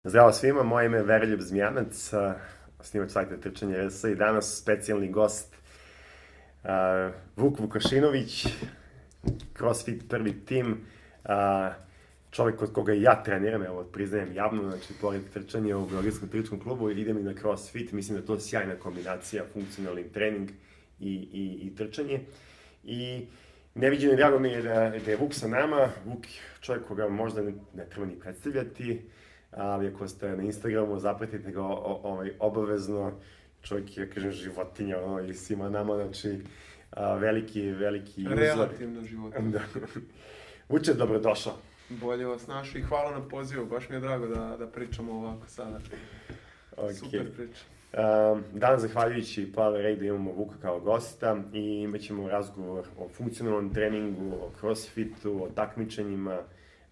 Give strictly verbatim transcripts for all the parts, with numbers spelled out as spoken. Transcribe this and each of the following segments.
Zdravo svima, moje ime je Veroljub Zmijanac, snimač sajta Trčanje R S i danas specijalni gost uh, Vuk Vukašinović, CrossFit prvi tim, uh, čovjek kod koga i ja treniram, evo priznajem javno, znači pored trčanja u Beogradskom trčačkom klubu idem i na CrossFit, mislim da je to sjajna kombinacija, funkcionalni trening i, i, i trčanje. I neviđeno i drago mi je da, da je Vuk sa nama, Vuk čovjek koga možda ne, ne treba ni predstavljati, ali ako ste na Instagramu, zapratite ga ovaj, obavezno, čovjek je, kažem, životinja, ono, i svima nama, znači, a, veliki, veliki uzor. Relativno životinja. Da. Vuče, dobrodošao. Bolje vas našli i hvala na pozivu, baš mi je drago da, da pričamo ovako sada. Okay. Super priča. Um, danas, zahvaljujući Power Raidu, imamo Vuka kao gosta i imat ćemo razgovor o funkcionalnom treningu, o crossfitu, o takmičenjima.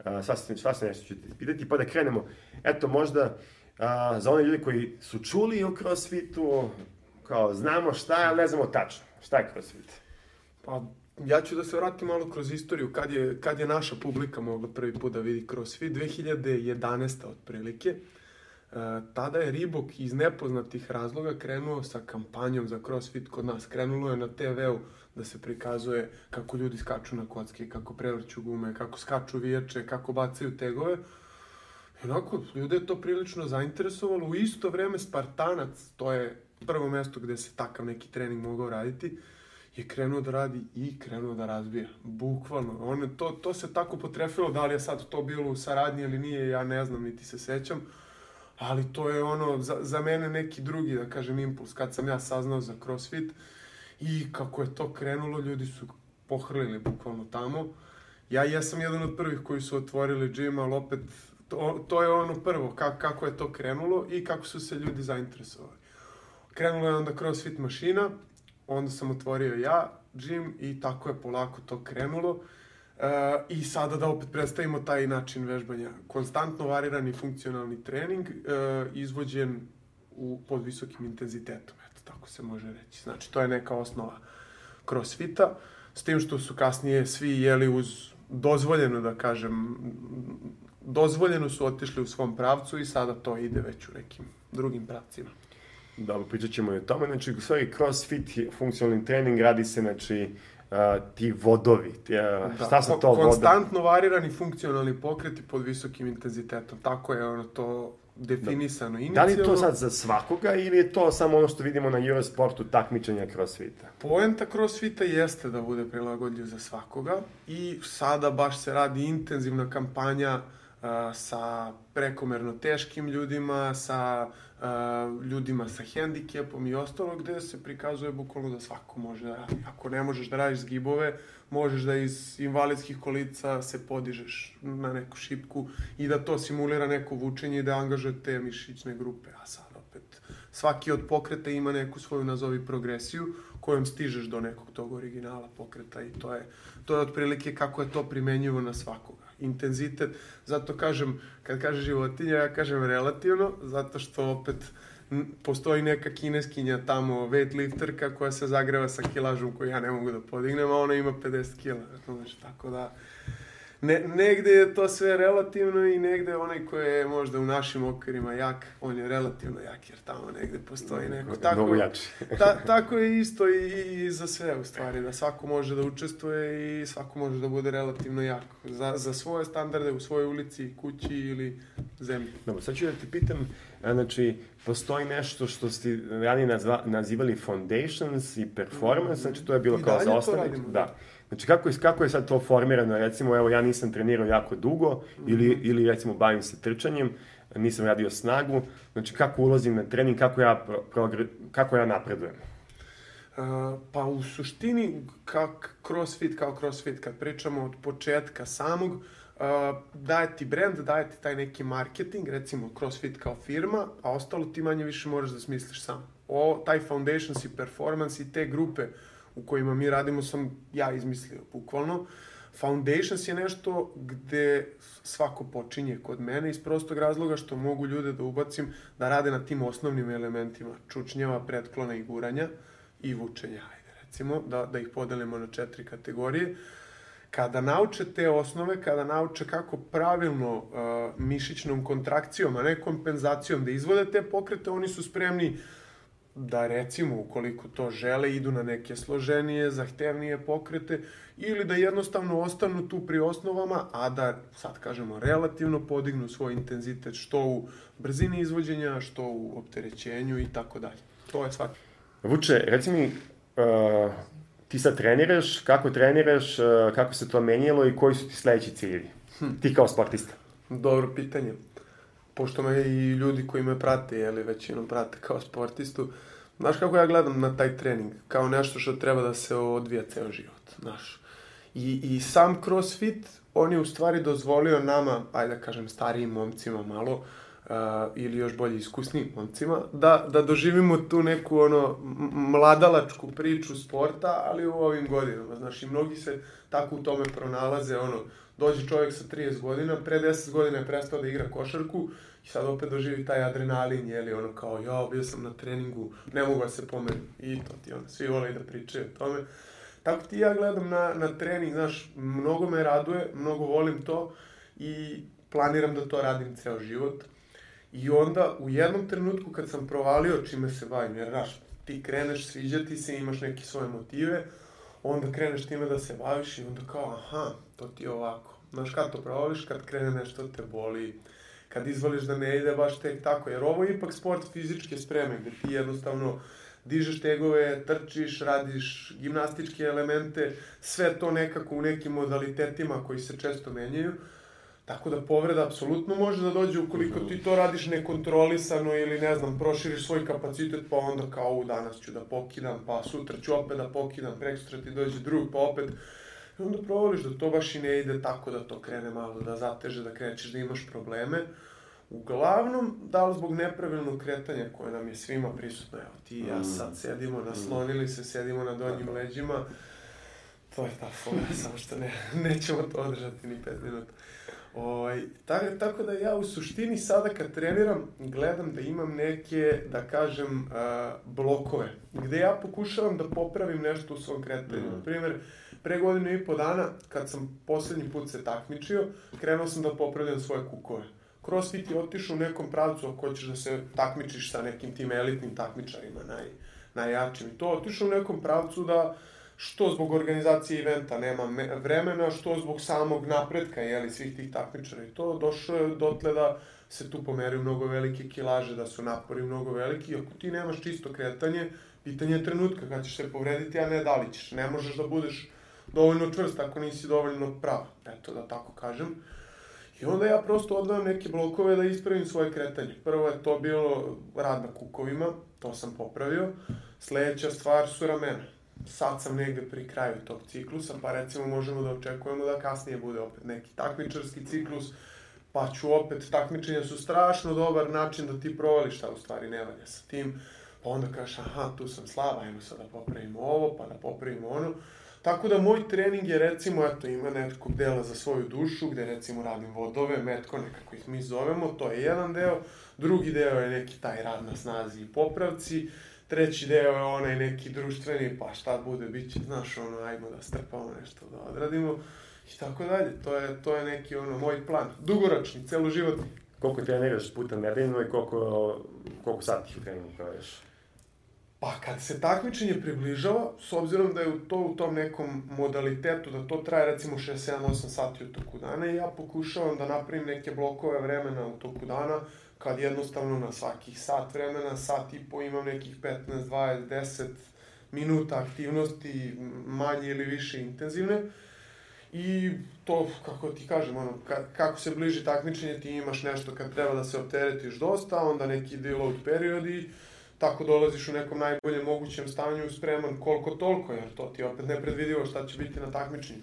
Uh, sasvim, sasvim nešto ću ti pitati, pa da krenemo. Eto, možda uh, za one ljudi koji su čuli o crossfitu, kao znamo šta je, ali ne znamo tačno. Šta je crossfit? Pa, ja ću da se vratim malo kroz istoriju, kad je, kad je naša publika mogla prvi put da vidi crossfit, dve hiljade jedanaeste otprilike. Uh, tada je Reebok iz nepoznatih razloga krenuo sa kampanjom za crossfit kod nas. Krenulo je na te veu da se prikazuje kako ljudi skaču na kocke, kako prevrću gume, kako skaču vijače, kako bacaju tegove. I onako, ljude je to prilično zainteresovalo. U isto vreme Spartanac, to je prvo mesto gde se takav neki trening mogao raditi, je krenuo da radi i krenuo da razbija. Bukvalno. On, to, to se tako potrefilo, da li je sad to bilo u saradnji ili nije, ja ne znam, niti se sećam. Ali to je ono, za, za mene neki drugi, da kažem, impuls. Kad sam ja saznao za CrossFit i kako je to krenulo, ljudi su pohrlili bukvalno tamo. Ja jesam jedan od prvih koji su otvorili džim, ali opet, to, to je ono prvo, ka, kako je to krenulo i kako su se ljudi zainteresovali. Krenulo je onda CrossFit mašina, onda sam otvorio ja džim i tako je polako to krenulo. Uh, I sada da opet predstavimo taj način vežbanja. Konstantno varirani funkcionalni trening, uh, izvođen u, pod visokim intenzitetom. Eto, tako se može reći. Znači, to je neka osnova crossfita, s tim što su kasnije svi jeli uz dozvoljeno, da kažem, dozvoljeno su otišli u svom pravcu i sada to ide već u nekim drugim pravcima. Dobro, pričat ćemo i o tome. Znači, u stvari, crossfit, funkcionalni trening, radi se, znači, Uh, ti vodovi, ti, uh, da, šta su to vodovi? Konstantno varirani funkcionalni pokreti pod visokim intenzitetom. Tako je ono to definisano da. inicijalno. Da li je to sad za svakoga ili je to samo ono što vidimo na Eurosportu takmičenja crossfita? Poenta crossfita jeste da bude prilagodljiv za svakoga i sada baš se radi intenzivna kampanja uh, sa prekomerno teškim ljudima, sa Uh, ljudima sa hendikepom i ostalo, gde se prikazuje bukvalno da svako može da radi. Ako ne možeš da radiš zgibove, možeš da iz invalidskih kolica se podižeš na neku šipku i da to simulira neko vučenje i da angažuje te mišićne grupe. A sad opet, svaki od pokreta ima neku svoju, nazovi, progresiju kojom stižeš do nekog tog originala pokreta i to je, to je otprilike kako je to primenjivo na svakoga. Intenzitet, zato kažem, kad kaže životinja, ja kažem relativno, zato što opet postoji neka kineskinja tamo, weightlifterka koja se zagreva sa kilažom koju ja ne mogu da podignem, a ona ima pedeset kila, znači, tako da ne, negde je to sve relativno i negde onaj koji je možda u našim okvirima jak, on je relativno jak, jer tamo negde postoji neko. Tako, ta, tako je isto i, i za sve, u stvari, da svako može da učestvuje i svako može da bude relativno jak za, za svoje standarde u svojoj ulici, kući ili zemlji. Dobro, sad ću da ti pitam, znači, postoji nešto što ste ranije nazva, nazivali foundations i performance, znači to je bilo I kao za osnovnik. Da. Znači, kako je, kako je sad to formirano? Recimo, evo, ja nisam trenirao jako dugo mm-hmm. ili, ili, recimo, bavim se trčanjem, nisam radio snagu. Znači, kako ulazim na trening, kako ja, progr... kako ja napredujem? Uh, pa u suštini, kak crossfit kao crossfit, kad pričamo od početka samog, uh, daje ti brand, daje ti taj neki marketing, recimo crossfit kao firma, a ostalo ti manje više moraš da smisliš sam. O, taj foundations i performance i te grupe u kojima mi radimo sam ja izmislio, bukvalno. Foundations je nešto gde svako počinje kod mene iz prostog razloga što mogu ljude da ubacim da rade na tim osnovnim elementima čučnjava, pretklona i guranja i vučenja, ajde recimo, da, da ih podelimo na četiri kategorije. Kada nauče te osnove, kada nauče kako pravilno uh, mišićnom kontrakcijom, a ne kompenzacijom da izvode te pokrete, oni su spremni da, recimo, ukoliko to žele, idu na neke složenije, zahtevnije pokrete ili da jednostavno ostanu tu pri osnovama, a da, sad kažemo, relativno podignu svoj intenzitet što u brzini izvođenja, što u opterećenju i tako dalje. To je svaki. Vuče, reci mi, uh, ti sad treniraš, kako treniraš, uh, kako se to menjalo i koji su ti sledeći ciljevi? Hm. Ti kao sportista. Dobro pitanje. Pošto me i ljudi koji me prate, jeli, većinom prate kao sportistu, znaš kako ja gledam na taj trening? Kao nešto što treba da se odvija ceo život, znaš. I, i sam CrossFit, on je u stvari dozvolio nama, ajde da kažem, starijim momcima malo, uh, ili još bolje iskusnijim momcima, da, da doživimo tu neku, ono, mladalačku priču sporta, ali u ovim godinama, znaš, i mnogi se tako u tome pronalaze, ono, dođe čovjek sa trideset godina, pre deset godina je prestao da igra košarku i sad opet doživi taj adrenalin, jeli, ono kao, ja, bio sam na treningu, ne mogu da se pomerim. I to ti, ono, svi vole da pričaju o tome. Tako ti ja gledam na, na trening, znaš, mnogo me raduje, mnogo volim to i planiram da to radim ceo život. I onda, u jednom trenutku kad sam provalio čime se bavim, jer, znaš, ti kreneš, sviđa ti se, imaš neke svoje motive, onda kreneš time da se baviš i onda kao, aha, to ti je ovako. Znaš, kad to provališ, kad krene nešto te boli, kad izvališ da ne ide baš tek tako, jer ovo je ipak sport fizičke spreme, gde ti jednostavno dižeš tegove, trčiš, radiš gimnastičke elemente, sve to nekako u nekim modalitetima koji se često menjaju, tako da povreda apsolutno može da dođe ukoliko ti to radiš nekontrolisano ili, ne znam, proširiš svoj kapacitet, pa onda kao, u danas ću da pokidam, pa sutra ću opet da pokidam, prekosutra ti dođe drug, pa opet. I onda provališ da to baš i ne ide tako da to krene malo da zateže, da krećeš da imaš probleme. Uglavnom, da li zbog nepravilnog kretanja koje nam je svima prisutno, evo ti i ja sad sedimo, naslonili se, sedimo na donjim leđima, to je ta fora, samo što ne, nećemo to održati ni pet minuta. Ovaj, tako, tako da ja u suštini sada kad treniram gledam da imam neke, da kažem, uh, blokove, gde ja pokušavam da popravim nešto u svom kretanju. Mm. Na primjer, pre godinu i po dana, kad sam poslednji put se takmičio, krenuo sam da popravljam svoje kukove. CrossFit je otišao u nekom pravcu ako hoćeš da se takmičiš sa nekim tim elitnim takmičarima, naj, najjačim. I to otišao u nekom pravcu da što zbog organizacije eventa nema vremena, što zbog samog napretka, jeli, svih tih takmičara. I to došlo je dotle da se tu pomeraju mnogo velike kilaže, da su napori mnogo veliki. I ako ti nemaš čisto kretanje, pitanje je trenutka kad ćeš se povrediti, a ne da li ćeš. Ne možeš da budeš dovoljno čvrst ako nisi dovoljno prav, eto da tako kažem. I onda ja prosto odvajam neke blokove da ispravim svoje kretanje. Prvo je to bilo rad na kukovima, to sam popravio. Sledeća stvar su ramena. Sad sam negde pri kraju tog ciklusa, pa recimo možemo da očekujemo da kasnije bude opet neki takmičarski ciklus, pa ću opet, takmičenja su strašno dobar način da ti provališ šta u stvari ne valja sa tim, pa onda kažeš, aha, tu sam slab, ajmo sad da popravimo ovo, pa da popravimo ono. Tako da moj trening je, recimo, eto, ima nekog dela za svoju dušu, gde recimo radim vodove, metko, nekako ih mi zovemo, to je jedan deo. Drugi deo je neki taj rad na snazi i popravci. Treći deo je onaj neki društveni, pa šta bude, bit će, znaš, ono, ajmo da strpamo nešto, da odradimo i tako dalje. To je, to je neki, ono, moj plan. Dugoročni, celoživotni. Koliko treniraš puta nedeljno i koliko, koliko sati u treningu praviš? Pa kad se takmičenje približava, s obzirom da je to u tom nekom modalitetu, da to traje recimo šest, sedam, osam sati u toku dana i ja pokušavam da napravim neke blokove vremena u toku dana, kad jednostavno na svakih sat vremena, sat i po imam nekih petnaest, dvadeset, deset minuta aktivnosti, manje ili više intenzivne. I to, kako ti kažem, ono, kako se bliži takmičenje, ti imaš nešto kad treba da se opteretiš dosta, onda neki deload periodi, tako dolaziš u nekom najboljem mogućem stanju spreman koliko toliko, jer to ti je opet nepredvidivo šta će biti na takmičenju.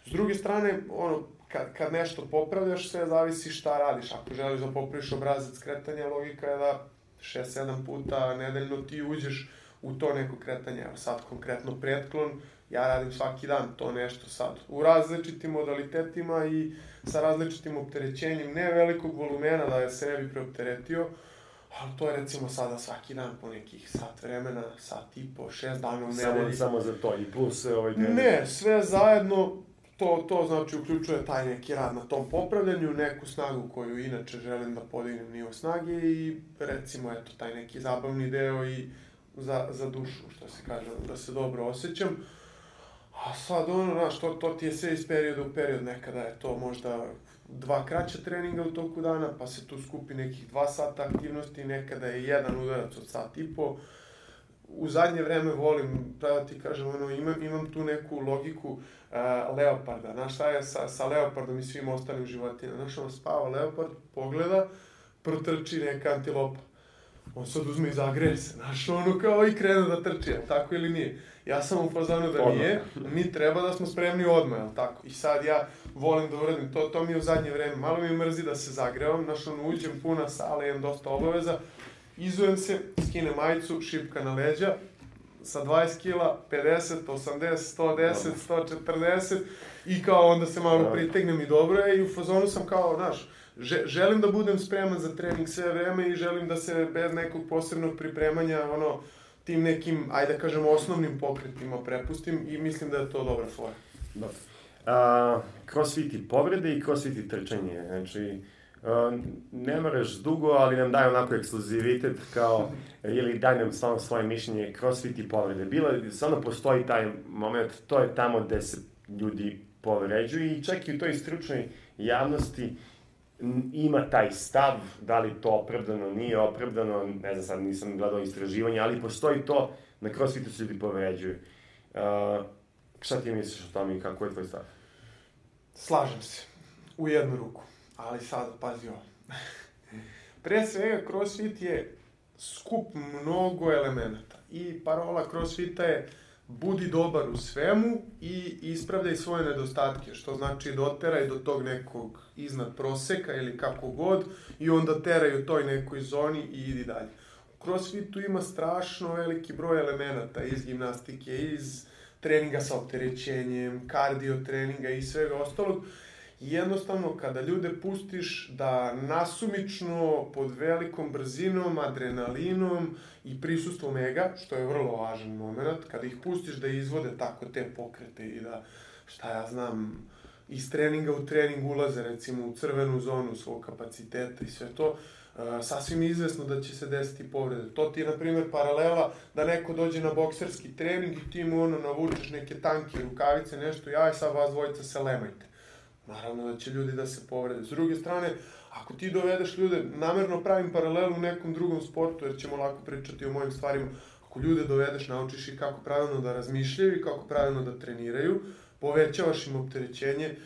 S druge strane, ono, kad, kad nešto popravljaš, sve zavisi šta radiš. Ako želiš da popraviš obrazac kretanja, logika je da šest sedam puta nedeljno ti uđeš u to neko kretanje. Evo sad konkretno pretklon, ja radim svaki dan to nešto sad. U različitim modalitetima i sa različitim opterećenjem, ne velikog volumena da je se ne bi preopteretio, ali to je recimo sada svaki dan po nekih sat vremena, sat i po, šest dana u nedelji. Samo, samo za to i plus ovaj trening? Ne, sve zajedno to, to znači uključuje taj neki rad na tom popravljanju, neku snagu koju inače želim da podignem nivo snage i recimo eto taj neki zabavni deo i za, za dušu, što se kaže, da se dobro osjećam. A sad ono, znaš, to, to ti je sve iz perioda u period, nekada je to možda dva kraća treninga u toku dana, pa se tu skupi nekih dva sata aktivnosti, nekada je jedan udarac od sat i po. U zadnje vreme volim, da ti kažem, ono, imam, imam tu neku logiku uh, leoparda. Znaš šta je sa, sa leopardom i svim ostalim životinjama? Znaš, ono spava leopard, pogleda, protrči neka antilopa. On sad uzme i zagreje se, znaš, ono kao i krene da trči, jel tako ili nije? Ja sam u fazonu da nije, mi treba da smo spremni odmah, jel tako? I sad ja volim da uradim to, to mi je u zadnje vreme, malo mi mrzi da se zagrevam, znaš, ono, uđem puna sala, imam dosta obaveza, izujem se, skinem majicu, šipka na leđa, sa dvadeset kila, pedeset, osamdeset, sto deset, sto četrdeset i kao onda se malo pritegnem i dobro je i u fazonu sam kao, znaš, želim da budem spreman za trening sve vreme i želim da se bez nekog posebnog pripremanja, ono, tim nekim, ajde da kažem, osnovnim pokretima prepustim i mislim da je to dobra fora. Dobro. Uh, crossfit i povrede i crossfit i trčanje, znači, Uh, ne moraš dugo, ali nam daje onako ekskluzivitet kao, ili daj nam stvarno svoje mišljenje, crossfit i povrede. Bilo, stvarno postoji taj moment, to je tamo gde se ljudi povređuju i čak i u toj stručnoj javnosti ima taj stav, da li to opravdano, nije opravdano, ne znam, sad nisam gledao istraživanje, ali postoji to, na crossfitu se ljudi povređuju. Uh, šta ti misliš o tome i kako je tvoj stav? Slažem se, u jednu ruku. Ali sad, pazi ovo. Pre svega, crossfit je skup mnogo elemenata. I parola crossfita je budi dobar u svemu i ispravljaj svoje nedostatke, što znači doteraj do tog nekog iznad proseka ili kako god i onda teraj u toj nekoj zoni i idi dalje. U crossfitu ima strašno veliki broj elemenata iz gimnastike, iz treninga sa opterećenjem, kardio treninga i svega ostalog. Jednostavno, kada ljude pustiš da nasumično, pod velikom brzinom, adrenalinom i prisustvom ega, što je vrlo važan moment, kada ih pustiš da izvode tako te pokrete i da, šta ja znam, iz treninga u trening ulaze, recimo, u crvenu zonu svog kapaciteta i sve to, uh, sasvim izvesno da će se desiti povrede. To ti je, na primjer, paralela da neko dođe na bokserski trening i ti mu ono navučeš neke tanke rukavice, nešto, jaj, sad vas dvojica se lemajte. Naravno da će ljudi da se povrede. S druge strane, ako ti dovedeš ljude, namerno pravim paralelu u nekom drugom sportu, jer ćemo lako pričati o mojim stvarima, ako ljude dovedeš, naučiš ih kako pravilno da razmišljaju i kako pravilno da treniraju, povećavaš im opterećenje,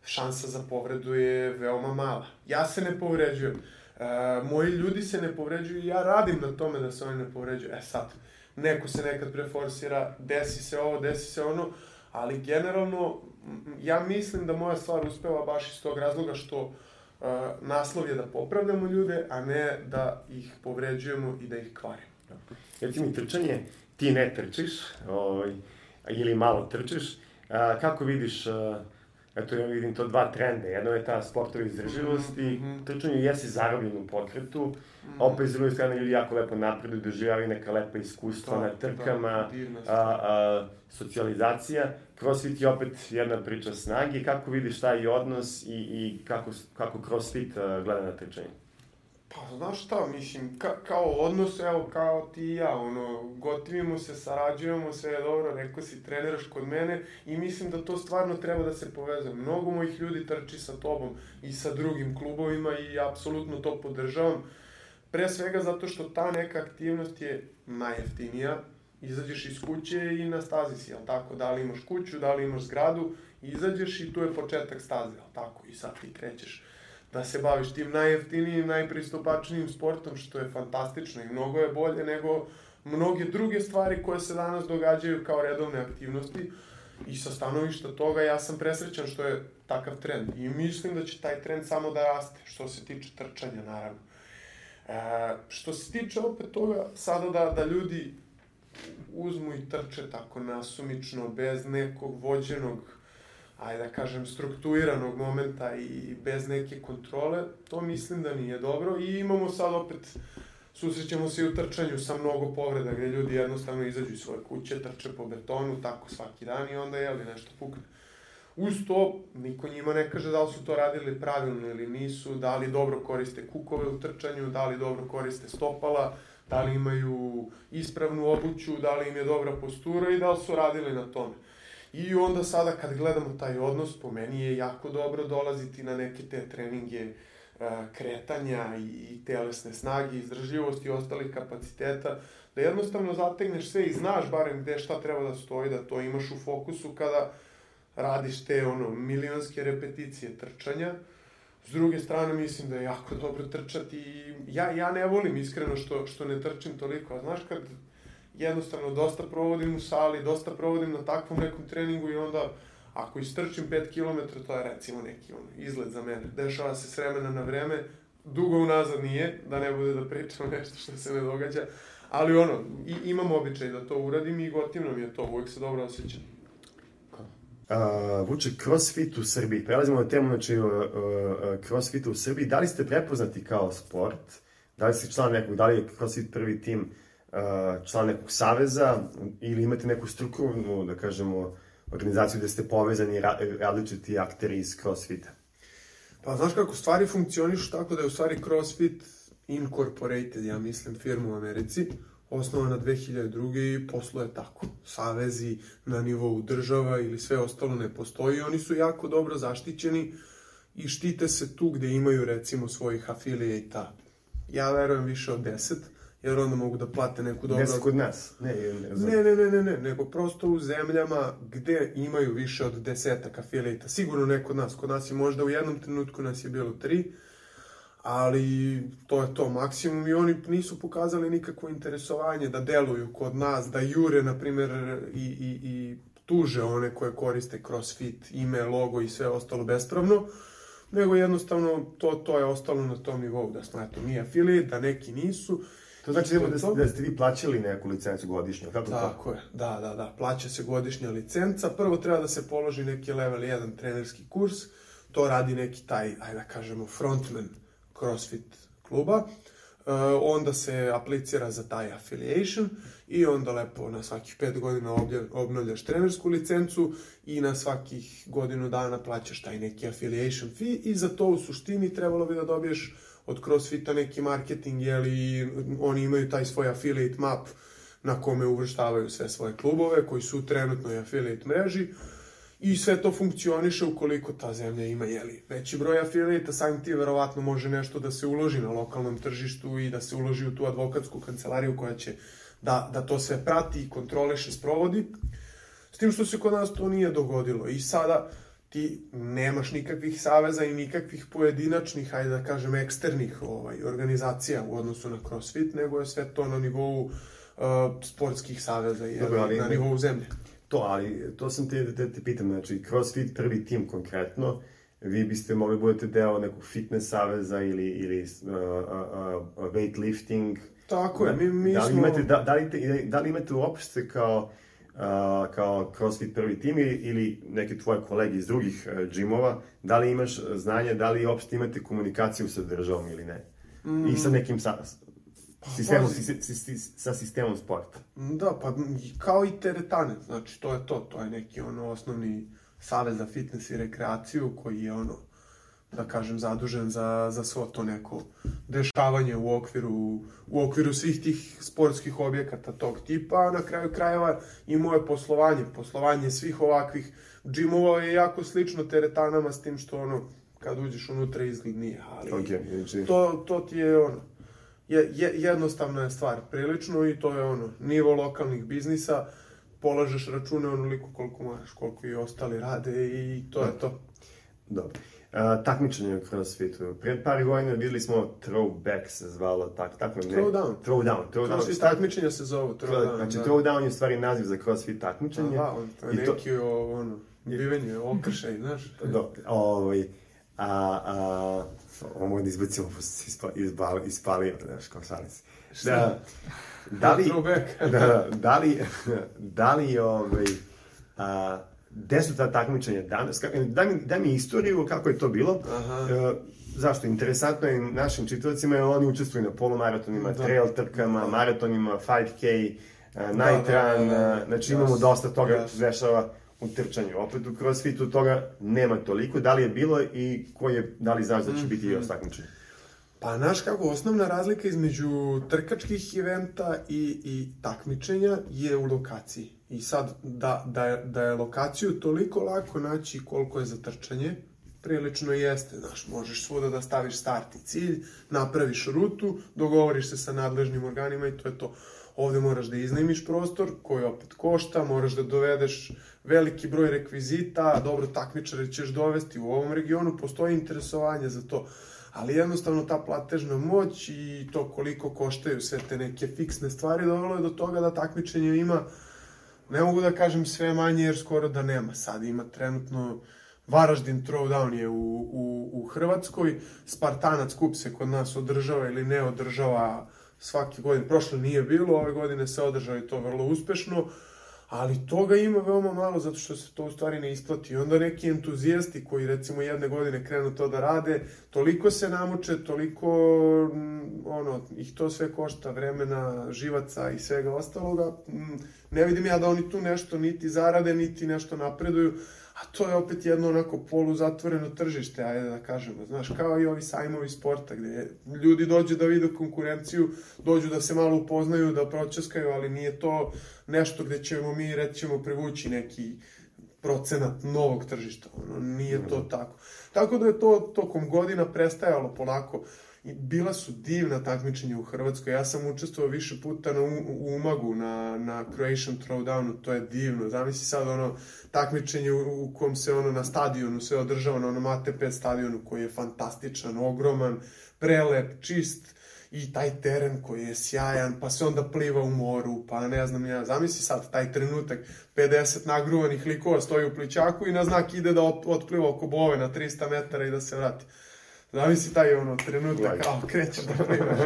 šansa za povredu je veoma mala. Ja se ne povređujem. E, moji ljudi se ne povređuju i ja radim na tome da se oni ne povređuju. E sad, neko se nekad preforsira, desi se ovo, desi se ono, ali generalno, ja mislim da moja stvar uspeva baš iz tog razloga što uh, naslov je da popravljamo ljude, a ne da ih povređujemo i da ih kvarimo. Recimo, trčanje, ti ne trčiš, ovaj, ili malo trčiš, a, kako vidiš, a, eto ja vidim to dva trenda, jedno je ta sportova izdržljivosti, mm-hmm. trčanje jesi zarobljen u pokretu, mm-hmm. opet s druge strane ljudi jako lepo napreduju, doživljavaju neka lepa iskustva na trkama, a, a, socijalizacija. Crossfit je opet jedna priča snage, kako vidiš taj odnos i, i kako, kako crossfit uh, gleda na trčanje? Pa, znaš šta, mislim, ka, kao odnos, evo, kao ti i ja, ono, gotivimo se, sarađujemo, sve je dobro, rekao si, treniraš kod mene i mislim da to stvarno treba da se povezuje. Mnogo mojih ljudi trči sa tobom i sa drugim klubovima i apsolutno to podržavam. Pre svega zato što ta neka aktivnost je najjeftinija. Izađeš iz kuće i na stazi si, jel tako? Da li imaš kuću, da li imaš zgradu, izađeš i tu je početak staze, jel tako? I sad ti krećeš da se baviš tim najjeftinijim, najpristupačnijim sportom, što je fantastično i mnogo je bolje nego mnoge druge stvari koje se danas događaju kao redovne aktivnosti. I sa stanovišta toga ja sam presrećan što je takav trend. I mislim da će taj trend samo da raste, što se tiče trčanja, naravno. E, što se tiče opet toga, sada da, da ljudi uzmu i trče tako nasumično, bez nekog vođenog, ajde da kažem, strukturiranog momenta i bez neke kontrole, to mislim da nije dobro. I imamo sad opet, susrećemo se i u trčanju sa mnogo povreda, gde ljudi jednostavno izađu iz svoje kuće, trče po betonu, tako svaki dan i onda, jeli, nešto pukne. Uz to, niko njima ne kaže da li su to radili pravilno ili nisu, da li dobro koriste kukove u trčanju, da li dobro koriste stopala, da li imaju ispravnu obuću, da li im je dobra postura i da li su radili na tome. I onda sada kad gledamo taj odnos, po meni je jako dobro dolaziti na neke te treninge kretanja i telesne snage, izdržljivosti i ostalih kapaciteta, da jednostavno zategneš sve i znaš barem gde šta treba da stoji, da to imaš u fokusu kada radiš te ono milionske repeticije trčanja. S druge strane, mislim da je jako dobro trčati i ja, ja ne volim iskreno što, što ne trčim toliko, a znaš kad jednostavno dosta provodim u sali, dosta provodim na takvom nekom treningu i onda ako istrčim pet kilometara, to je recimo neki ono, izlet za mene. Dešava se s vremena na vreme, dugo unazad nije, da ne bude da pričam nešto što se ne događa, ali ono, i, imam običaj da to uradim i gotivno mi je to, uvijek se dobro osjećam. Uh, Vuče, CrossFit u Srbiji. Prelazimo na temu, znači, uh, uh, CrossFit u Srbiji. Da li ste prepoznati kao sport? Da li ste član nekog, da li je CrossFit prvi tim uh, član nekog saveza ili imate neku strukturnu, da kažemo, organizaciju gde ste povezani ra različiti akteri iz CrossFita? Pa znaš kako stvari funkcionišu tako da je u stvari CrossFit Incorporated, ja mislim, firma u Americi, osnovana dve hiljade druge. i posluje tako. Savezi na nivou država ili sve ostalo ne postoji. Oni su jako dobro zaštićeni i štite se tu gde imaju recimo svojih afiliata. Ja verujem više od deset, jer onda mogu da plate neku dobro... Deset kod nas? Ne, ne, ne, ne, ne, ne, nego prosto u zemljama gde imaju više od desetak afiliata. Sigurno ne kod nas. Kod nas je možda u jednom trenutku nas je bilo tri, ali to je to maksimum i oni nisu pokazali nikakvo interesovanje da deluju kod nas, da jure, na primjer, i, i, i tuže one koje koriste CrossFit, ime, logo i sve ostalo bespravno, nego jednostavno to, to je ostalo na tom nivou, da smo, eto, mi affiliate, da neki nisu. To znači da, da, da ste vi plaćali neku licencu godišnju, kako to? Tako je, da, da, da, plaća se godišnja licenca, prvo treba da se položi neki level jedan trenerski kurs, to radi neki taj, ajde da kažemo, frontman CrossFit kluba, uh, onda se aplicira za taj affiliation i onda lepo na svakih pet godina obnavljaš trenersku licencu i na svakih godinu dana plaćaš taj neki affiliation fee i za to u suštini trebalo bi da dobiješ od CrossFita neki marketing, jeli oni imaju taj svoj affiliate map na kome uvrštavaju sve svoje klubove koji su u trenutnoj affiliate mreži. I sve to funkcioniše ukoliko ta zemlja ima, jeli, veći broj afiliata, samim tim verovatno može nešto da se uloži na lokalnom tržištu i da se uloži u tu advokatsku kancelariju koja će da, da to sve prati i kontroliše, sprovodi. S tim što se kod nas to nije dogodilo. I sada ti nemaš nikakvih saveza i nikakvih pojedinačnih, hajde da kažem, eksternih ovaj, organizacija u odnosu na CrossFit, nego je sve to na nivou uh, sportskih saveza i Dobre, ali, na nivou zemlje. To, ali to sam te, te, te pitam, znači CrossFit prvi tim konkretno, vi biste mogli budete deo nekog fitness saveza ili, ili uh, uh, uh, weightlifting. Tako je, mi, mi da li smo... Imate, da, da, li, da li imate uopšte kao, uh, kao CrossFit prvi tim ili, ili neke tvoje kolege iz drugih uh, džimova, da li imaš znanje, da li uopšte imate komunikaciju sa državom ili ne? Mm. I sa nekim sa... Sistemom, si, si, si, sa sistemom sporta. Da, pa kao i teretane, znači to je to, to je neki ono osnovni savez za fitness i rekreaciju koji je ono, da kažem, zadužen za, za svo to neko dešavanje u okviru, u okviru svih tih sportskih objekata tog tipa, a na kraju krajeva i moje poslovanje, poslovanje svih ovakvih džimova je jako slično teretanama s tim što ono, kad uđeš unutra izgled nije, ali okay, znači... to, to ti je ono, Je, je, jednostavna je stvar prilično i to je ono, nivo lokalnih biznisa, polažeš račune onoliko koliko moraš, koliko i ostali rade i to je to. Dobro. Uh, takmičenje u CrossFitu. Pred par godina videli smo Throwback se zvalo, tak, tako ne? Throwdown. Throwdown. Throwdown. CrossFit takmičenja se zovu Throwdown. Znači, Throwdown je u stvari naziv za CrossFit takmičenje. Aha, to je neki to... ono, bivenje, okršaj, znaš. Dobro, ovaj... A, a, ovo možda izbacimo, ispali, ispali, znaš, kao šalim se. Da, da li, da, da li, da li, ovaj, a, gde su ta takmičenja danas, daj mi, daj mi istoriju kako je to bilo. Aha. Zašto? Interesantno je našim čitavacima, jer oni učestvuju na polumaratonima, da. Trail trkama, maratonima, five K, night run, znači imamo dosta toga yes. dešava u trčanju. Opet u CrossFitu toga nema toliko. Da li je bilo i koji je, da li znaš da će biti još takmičenje? Pa, znaš kako, osnovna razlika između trkačkih eventa i, i takmičenja je u lokaciji. I sad, da, da, je, da je lokaciju toliko lako naći koliko je za trčanje, prilično jeste, znaš, možeš svuda da staviš start i cilj, napraviš rutu, dogovoriš se sa nadležnim organima i to je to. Ovde moraš da iznajmiš prostor koji opet košta, moraš da dovedeš veliki broj rekvizita, dobro, takmičare ćeš dovesti, u ovom regionu postoji interesovanje za to, ali jednostavno ta platežna moć i to koliko koštaju sve te neke fiksne stvari dovelo je do toga da takmičenje ima, ne mogu da kažem sve manje jer skoro da nema, sad ima trenutno Varaždin Throwdown je u, u, u Hrvatskoj, Spartanac kup se kod nas održava ili ne održava svake godine, prošle nije bilo, ove godine se održava i to vrlo uspešno, ali toga ima veoma malo zato što se to u stvari ne isplati. I onda neki entuzijasti koji recimo jedne godine krenu to da rade, toliko se namuče, toliko ono, ih to sve košta vremena, živaca i svega ostaloga, ne vidim ja da oni tu nešto niti zarade, niti nešto napreduju, a to je opet jedno onako poluzatvoreno tržište, ajde da kažemo, znaš, kao i ovi sajmovi sporta, gde ljudi dođu da vide konkurenciju, dođu da se malo upoznaju, da pročaskaju, ali nije to nešto gde ćemo mi, rećemo, privući neki procenat novog tržišta, ono, nije to tako. Tako da je to tokom godina prestajalo polako. I bila su divna takmičenja u Hrvatskoj, ja sam učestvovao više puta na, u Umagu, na, na Croatian Throwdownu, to je divno, zamisli sad ono takmičenje u, u kom se ono na stadionu sve održava, na onom A T P stadionu koji je fantastičan, ogroman, prelep, čist i taj teren koji je sjajan, pa se onda pliva u moru, pa ne znam ja, zamisli sad taj trenutak, pedeset nagruvanih likova stoji u plićaku i na znak ide da otpliva oko Bove na trista metara i da se vrati. Zavisi taj ono trenutak, kao krećeš da plivaš.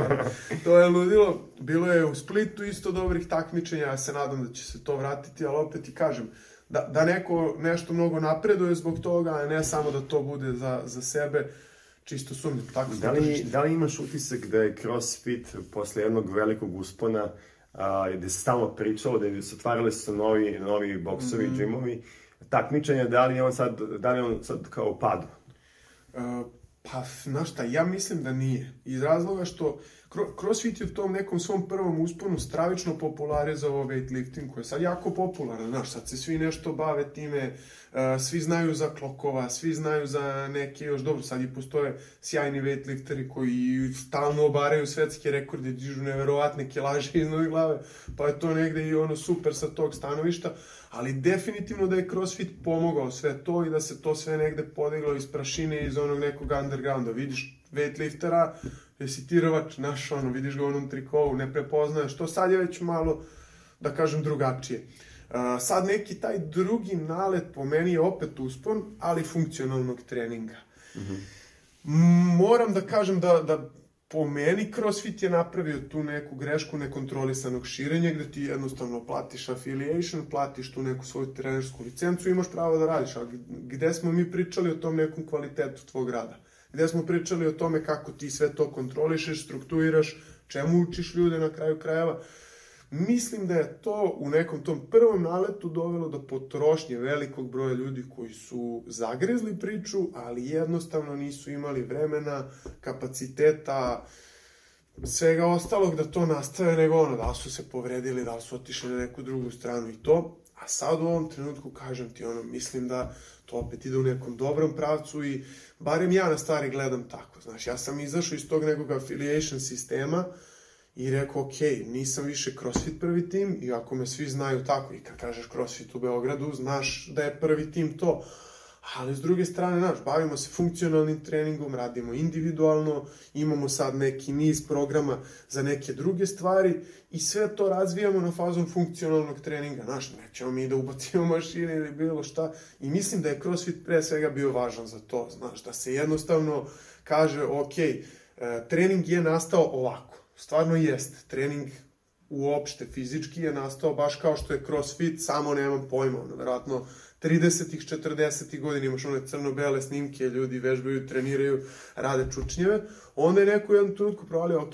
To je ludilo. Bilo je u Splitu isto dobrih takmičenja, ja se nadam da će se to vratiti, ali opet ti kažem, da, da neko nešto mnogo napreduje zbog toga, a ne samo da to bude za, za sebe, čisto sumnje. Tako da, li, da li imaš utisak da je CrossFit posle jednog velikog uspona, a, gde se stalno pričalo, gde se otvarali su novi, novi boksovi, mm-hmm. džimovi, takmičenja, da li je on sad, da li je on sad kao padu? Uh, Pa, znaš šta, ja mislim da nije. Iz razloga što CrossFit je u tom nekom svom prvom usponu stravično popularizovao weightlifting, koji je sad jako popularan, znaš, sad se svi nešto bave time, svi znaju za klokova, svi znaju za neke još, dobro, sad i postoje sjajni weightlifteri koji stalno obaraju svetske rekorde, dižu neverovatne kilaže iz nove glave, pa je to negde i ono super sa tog stanovišta, ali definitivno da je CrossFit pomogao sve to i da se to sve negde podiglo iz prašine, iz onog nekog undergrounda. Vidiš weightliftera, jesi ti rvač, naš ono, vidiš ga u onom trikovu, ne prepoznaješ to, sad je već malo, da kažem, drugačije. Uh, sad neki taj drugi nalet po meni je opet uspon, ali funkcionalnog treninga. Mm-hmm. Moram da kažem da, da po meni CrossFit je napravio tu neku grešku nekontrolisanog širenja, gde ti jednostavno platiš affiliation, platiš tu neku svoju trenersku licencu i imaš pravo da radiš. A gde smo mi pričali o tom nekom kvalitetu tvog rada? Gde smo pričali o tome kako ti sve to kontrolišeš, strukturiraš, čemu učiš ljude na kraju krajeva? Mislim da je to u nekom tom prvom naletu dovelo do potrošnje velikog broja ljudi koji su zagrezli priču, ali jednostavno nisu imali vremena, kapaciteta, svega ostalog da to nastave, nego ono, da li su se povredili, da li su otišli na neku drugu stranu i to. A sad u ovom trenutku, kažem ti, ono, mislim da to opet ide u nekom dobrom pravcu i barem ja na stvari gledam tako. Znaš, ja sam izašao iz tog nekog affiliation sistema i rekao, ok, nisam više CrossFit prvi tim, iako me svi znaju tako, i kad kažeš CrossFit u Beogradu, znaš da je prvi tim to. Ali s druge strane, znaš, bavimo se funkcionalnim treningom, radimo individualno, imamo sad neki niz programa za neke druge stvari i sve to razvijamo na fazom funkcionalnog treninga. Znaš, nećemo mi da ubacimo mašine ili bilo šta. I mislim da je CrossFit pre svega bio važan za to, znaš, da se jednostavno kaže, ok, trening je nastao ovako. Stvarno jest, trening uopšte fizički je nastao baš kao što je CrossFit, samo nemam pojma, ono, verovatno tridesetih, četrdesetih godina imaš one crno-bele snimke, ljudi vežbaju, treniraju, rade čučnjeve, onda je neko u jednom trenutku provalio, ok,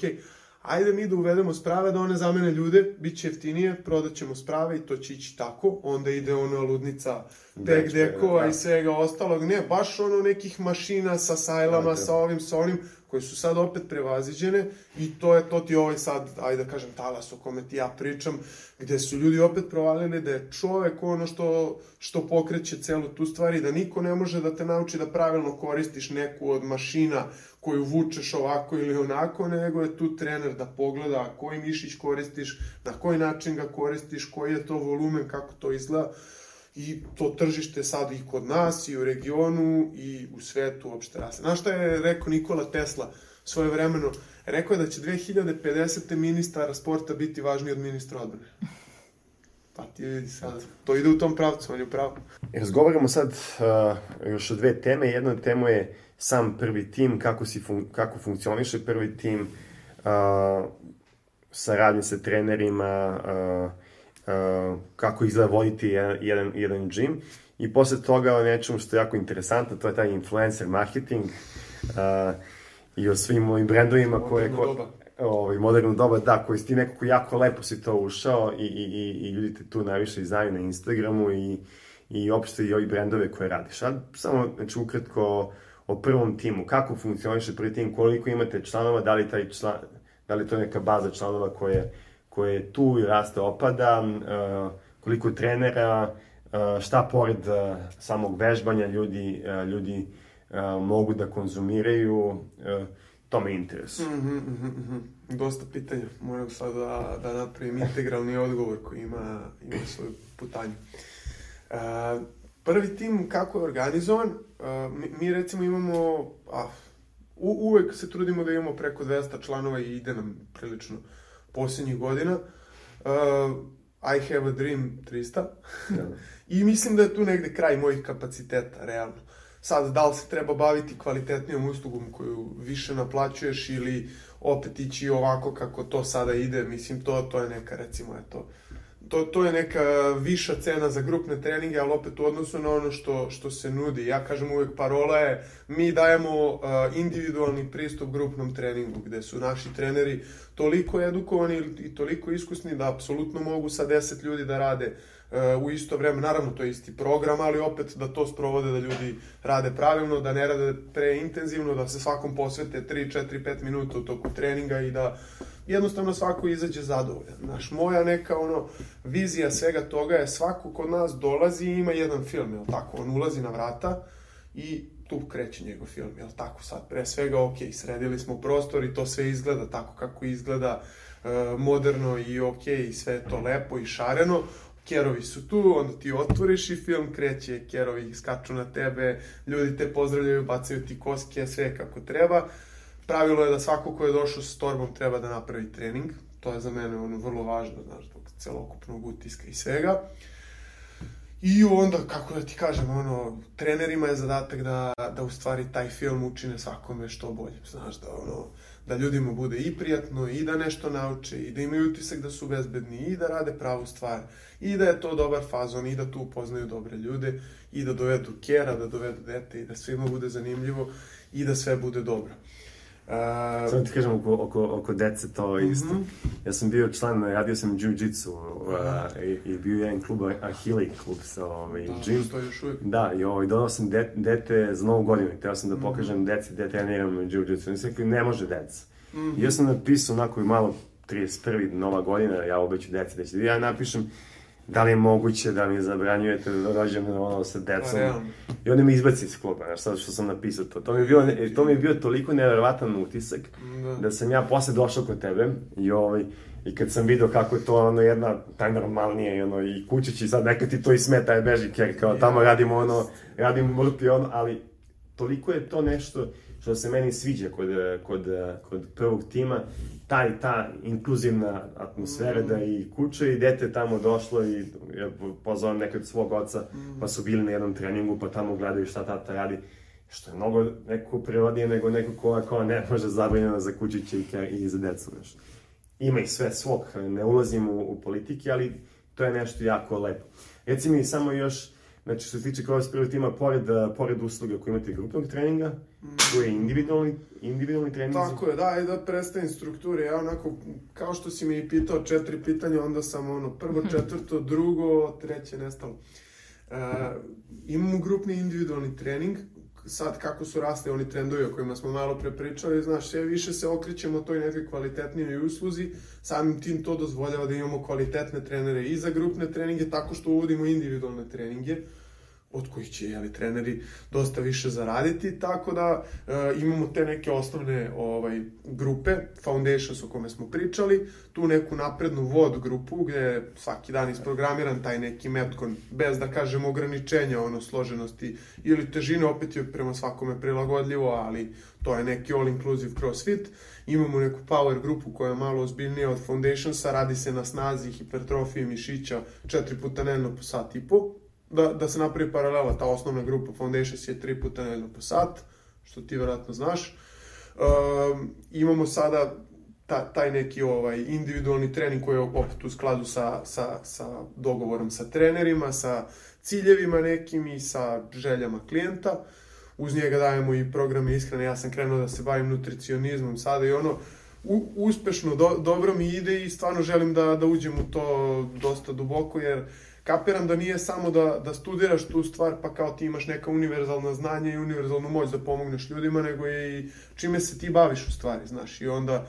ajde mi da uvedemo sprave da one zamene ljude, bit će jeftinije, prodat ćemo sprave i to će ići tako, onda ide ona ludnica tek dekova i svega ostalog. Ne, baš ono nekih mašina sa sajlama, da, sa ovim, sa onim, koje su sad opet prevaziđene i to je, to ti ovaj sad, ajde da kažem, talas o kome ti ja pričam, gde su ljudi opet provalili da je čovek ono što, što pokreće celu tu stvar i da niko ne može da te nauči da pravilno koristiš neku od mašina koju vučeš ovako ili onako, nego je tu trener da pogleda koji mišić koristiš, na koji način ga koristiš, koji je to volumen, kako to izgleda. I to tržište sad i kod nas, i u regionu, i u svetu uopšte raste. Znaš šta je rekao Nikola Tesla svoje vremeno? Rekao je da će dve hiljade pedesete ministar sporta biti važniji od ministra odbrane. Pa ti vidi sad, to ide u tom pravcu, on je pravo. Razgovaramo sad uh, još o dve teme. Jedna od tema je sam prvi tim, kako, si fun kako funkcioniše prvi tim, uh, saradnje sa trenerima, uh, Uh, kako izgleda voditi jedan, jedan, jedan gym i posle toga o nečemu što je jako interesantno, to je taj influencer marketing uh, i o svim ovim brendovima koje... Moderno doba. Ovaj, moderno doba, da, koji si ti nekako jako lepo si to ušao i, i, i, i ljudi te tu najviše znaju na Instagramu i, i opšte i ovi brendove koje radiš. Sad samo, znači, ukratko o prvom timu, kako funkcioniše prvi tim, koliko imate članova, da li, taj član, da li to je neka baza članova koje koje tu i raste opada, uh, koliko trenera, uh, šta pored uh, samog vežbanja ljudi, uh, ljudi uh, mogu da konzumiraju, uh, to me interesuje. Mm -hmm, mm -hmm. Dosta pitanja, moram sad da, da napravim integralni odgovor koji ima, ima svoju putanju. Uh, prvi tim kako je organizovan, uh, mi, mi recimo imamo, a, u, uvek se trudimo da imamo preko dvesta članova i ide nam prilično posljednjih godina. Uh, I have a dream trista. I mislim da je tu negde kraj mojih kapaciteta, realno. Sad, da li se treba baviti kvalitetnijom uslugom koju više naplaćuješ ili opet ići ovako kako to sada ide, mislim, to, to je neka, recimo, eto, to, to je neka viša cena za grupne treninge, ali opet u odnosu na ono što, što se nudi. Ja kažem uvek, parola je, mi dajemo uh, individualni pristup grupnom treningu, gde su naši treneri toliko edukovani i toliko iskusni da apsolutno mogu sa deset ljudi da rade uh, u isto vreme. Naravno, to je isti program, ali opet da to sprovode, da ljudi rade pravilno, da ne rade preintenzivno, da se svakom posvete tri, četiri, pet minuta u toku treninga i da jednostavno svako izađe zadovoljan. Znaš, moja neka ono vizija svega toga je svako kod nas dolazi i ima jedan film, jel tako? On ulazi na vrata i tu kreće njegov film, jel tako? Sad, pre svega, ok, sredili smo prostor i to sve izgleda tako kako izgleda, e, moderno i ok, i sve to lepo i šareno. Kerovi su tu, onda ti otvoriš i film kreće, kerovi skaču na tebe, ljudi te pozdravljaju, bacaju ti koske, sve kako treba. Pravilo je da svako ko je došao s torbom treba da napravi trening. To je za mene ono vrlo važno, znaš, zbog celokupnog utiska i svega. I onda, kako da ti kažem, ono, trenerima je zadatak da, da u stvari taj film učine svakome što bolje. Znaš, da, ono, da ljudima bude i prijatno, i da nešto nauče, i da imaju utisak da su bezbedni, i da rade pravu stvar, i da je to dobar fazon, i da tu upoznaju dobre ljude, i da dovedu kera, da dovedu dete, i da svima bude zanimljivo, i da sve bude dobro. Uh, Samo ti kažem oko, oko, oko dece to isto. Mm -hmm. Ja sam bio član, radio sam jiu-jitsu uh, i, i bio jedan klub, Ahile klub sa ovaj, da, gym. To još uvijek. Da, i ovaj, donao sam de, dete za novu godinu i teo sam da pokažem mm -hmm. deci gde treniram jiu-jitsu. Oni su rekli, ne može deca. Mm -hmm. I ja sam napisao onako i malo trideset prva nova godina, ja obeću deci da će. Ja napišem da li je moguće da mi zabranjujete da dođem ono sa decom. I oni me izbaci iz kluba, znaš, sad što sam napisao to. To mi je bio, to mi je bio toliko neverovatan utisak da. da sam ja posle došao kod tebe i ovaj, i kad sam vidio kako je to ono jedna taj normalnije i ono i kućići sad neka ti to i smeta je beži jer kao tamo radimo ono, radimo mrtvi ono, ali toliko je to nešto što se meni sviđa kod, kod, kod prvog tima, taj, ta inkluzivna atmosfera mm. da i kuće i dete tamo došlo i ja pozvao nekog svog oca, mm. pa su bili na jednom treningu, pa tamo gledaju šta tata radi, što je mnogo neko prirodnije nego neko ko, ko ne može zabranjeno za kućiće i, i za decu, nešto. Ima i sve svog, ne ulazim u, u politike, ali to je nešto jako lepo. Reci mi samo još, znači što se tiče kroz prvog tima, pored, pored usluga koji imate grupnog treninga, tu je individualni, individualni trening. Tako je, da, i da predstavim strukture. Ja onako, kao što si mi pitao četiri pitanja, onda sam ono, prvo, četvrto, drugo, treće nestalo. Uh, imamo grupni individualni trening, sad kako su rasli oni trendovi o kojima smo malo pre pričali, znaš, sve više se okrećemo toj nekoj kvalitetnijoj usluzi, samim tim to dozvoljava da imamo kvalitetne trenere i za grupne treninge, tako što uvodimo individualne treninge, od kojih će, jeli, treneri dosta više zaraditi, tako da e, imamo te neke osnovne ovaj, grupe, Foundations o kome smo pričali, tu neku naprednu vod grupu gde je svaki dan isprogramiran taj neki metcon, bez da kažemo ograničenja, ono, složenosti ili težine, opet je prema svakome prilagodljivo, ali to je neki all-inclusive crossfit. Imamo neku power grupu koja je malo ozbiljnija od Foundationsa, radi se na snazi, hipertrofiji mišića, četiri puta nedeljno po sat i po. Da, da se napravi paralela, ta osnovna grupa Foundations je tri puta nedeljno po sat, što ti vjerojatno znaš. Um, imamo sada ta, taj neki ovaj, individualni trening koji je opet u skladu sa, sa, sa dogovorom sa trenerima, sa ciljevima nekim i sa željama klijenta. Uz njega dajemo i programe ishrane, ja sam krenuo da se bavim nutricionizmom sada i ono, u, uspešno, do, dobro mi ide i stvarno želim da, da uđem u to dosta duboko, jer kapiram da nije samo da, da studiraš tu stvar pa kao ti imaš neka univerzalna znanja i univerzalnu moć da pomogneš ljudima, nego je i čime se ti baviš u stvari, znaš. I onda